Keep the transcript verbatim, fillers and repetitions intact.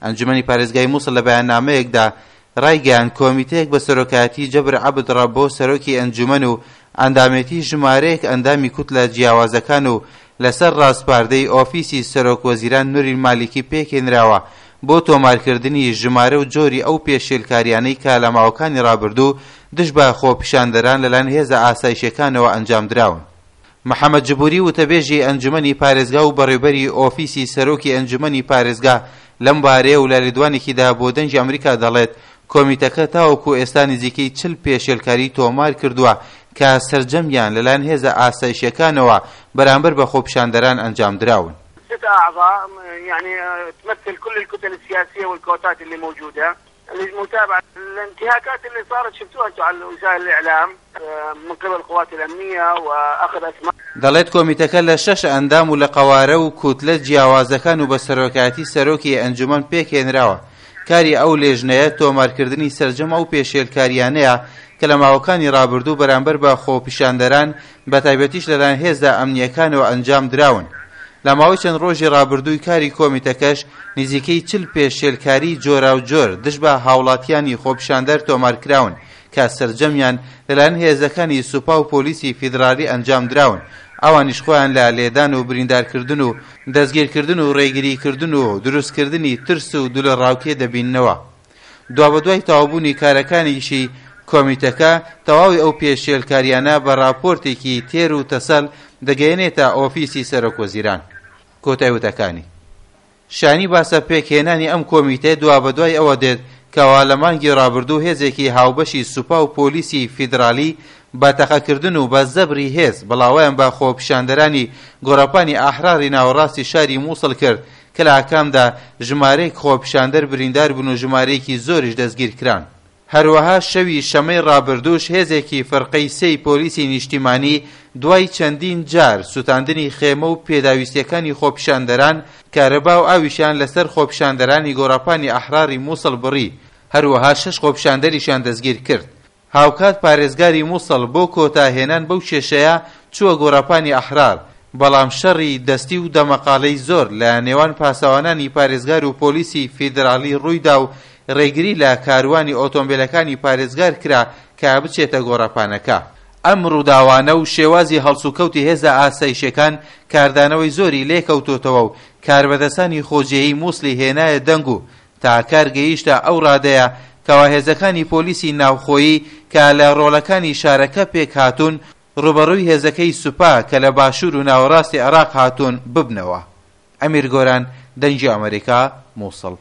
ئەنجومەنی پارێزگای موسڵ لە بەیاننامەیەکدا ڕایگەیاند کۆمیتەیەک بە سەرۆکایەتی جەبر عەبد ڕەبۆ سەرۆکی ئەنجومەن و ئەندامێتی ژمارەیەک ئەندامی کوتلە جیاوازەکان و لەسەر ڕاسپاردەی ئۆفیسی سەرۆک وەزیران نوری مالیکی پێکهێنراوە بۆ تۆمارکردنی ژمارە و جۆری ئەو پێشێلکاریانەی کە لە ماوەکانی ڕابردوو دژ بە خۆپیشاندەران لەلایەن هێزە ئاسایشیەکانەوە ئەنجامدراون. محەمەد جبوری وتەبێژی ئەنجومەنی پارێزگا و بەڕێوبەری ئۆفیسی سەرۆکی ئەنجومەنی پارێزگا لەم بارەیە و لە لێدوانێکیدا بۆ دەنگی ئەمریکا دەڵێت کۆمیتەکە تاوەکو ئێستا نزیکەی چل پێشێلکاری تۆمار کردووە کە سەرجەمیان لەلایەن هێزە ئاسایشیەکانەوە بەرامبەر بە خۆپیشاندەران ئەنجامدراون. ست أعضاء يعني تمثل كل الكتل السياسية والكوتات اللي موجودة للمتابعة الانتهاكات اللي صارت شفتوها انتم على وسائل الإعلام من قبل القوات الأمنية وأخذ أسماء دەڵێت کۆمیتەکە لە شەش ئەندام و لە قەوارە و کوتلە جیاوازەکان و بە سەرۆکایەتی سەرۆکی ئەنجومەن پێکهێنراوە. کاری ئەو لێژنەیە تۆمارکردنی سەرجەم ئەو پێشێلکاریانەیە کە لە ماوەکانی ڕابردوو بەرامبەر بە خۆپیشاندەران بە تایبەتیش لەلایەن هێزە ئەمنیەکانەوە ئەنجام دراون. لە ماوەی چەند ڕۆژی ڕابردووی کاری کۆمیتەکەش نزیکەی چل پێشێلکاری جۆراوجۆر دژ بە هاوڵاتیانی خۆپیشاندەر تۆمارکراون کە سەرجەمیان لەلایەن هێزەکانی سوپا و پۆلیسی فیدرالی ئەنجام دراون. ئەوانیش خۆیان لە لێدان و بریندارکردن و دەستگیرکردن و ڕێگریکردن و دروستکردنی ترس و دڵەڕاوکێ دەبیننەوە. دوابەدوای تەواوبوونی کارەکانیشی کۆمیتەکە تەواوی ئەو پێشێلکاریانە بە راپۆرتێکی تێر و تەسەل دەگەیەنێتە ئۆفیسی سەرۆک وەزیران. کۆتای وتەکانی. شانی باسە پێکهێنانی ئەم کۆمیتەیە دوابەدوای ئەوە دێت کەوا لە مانگی ڕابردوو هێزێکی هاوبەشی سوپا و پۆلیسی فیدرالی بە تەقەکردن و بە زەبری هێز بڵاوەیان بە خۆپیشاندەرانی گۆڕەپانی ئەحراری ناوەڕاستی شاری مووسڵ کرد کە لە ئاکامدا ژمارەیەک خۆپیشاندەر بریندار بوون و ژمارەیەکی زۆریش دەستگیر کران. هەروەها شەوی شەمەی ڕابردووش هێزێکی فرقەی سێی پۆلیسی نیشتیمانی دوای چەندین جار سوتاندنی خێمە و پێداویستیەکانی خۆپیشاندەران کارەبا و ئاویشیان لەسەر خۆپیشاندەرانی گۆڕەپانی ئەحراری مووسڵ بڕی، هەروەها شەش خۆپیشاندەریشیان دەستگیر کرد. هاوکات پارێزگاری مووسڵ بۆ کۆتاهێنان بەو کێشەیە چووە گۆڕەپانی ئەحرار، بەڵام شەڕی دەستی و دەمەقاڵەی زۆر لە نێوان پاسەوانانی پارێزگار و پۆلیسی فیدرالی ڕوویدا و ڕێگری لە کاروانی ئۆتۆمبیلەکانی پارێزگار کرا کە بچێتە گۆڕەپانەکە. ئەم ڕووداوانە و شێوازی هەڵسوکەوتی هێزە ئاسایشەکان کاردانەوەی زۆری لێکەوتۆتەوە و کاربەدەستانی خۆجێیی مووسڵی هێنایە دەنگ و تا کار گەیشتە ئەو ڕادەیە کەوا هێزەکانی پۆلیسی ناوخۆیی کە لە ڕۆڵەکانی شارەکە پێک هاتوون ڕوبەڕووی هێزەکەی سوپا کە لە باشوور و ناوەڕاستی عێراق هاتوون ببنەوە. ئەمیر گۆران، دەنگی ئەمریکا، مووسڵ.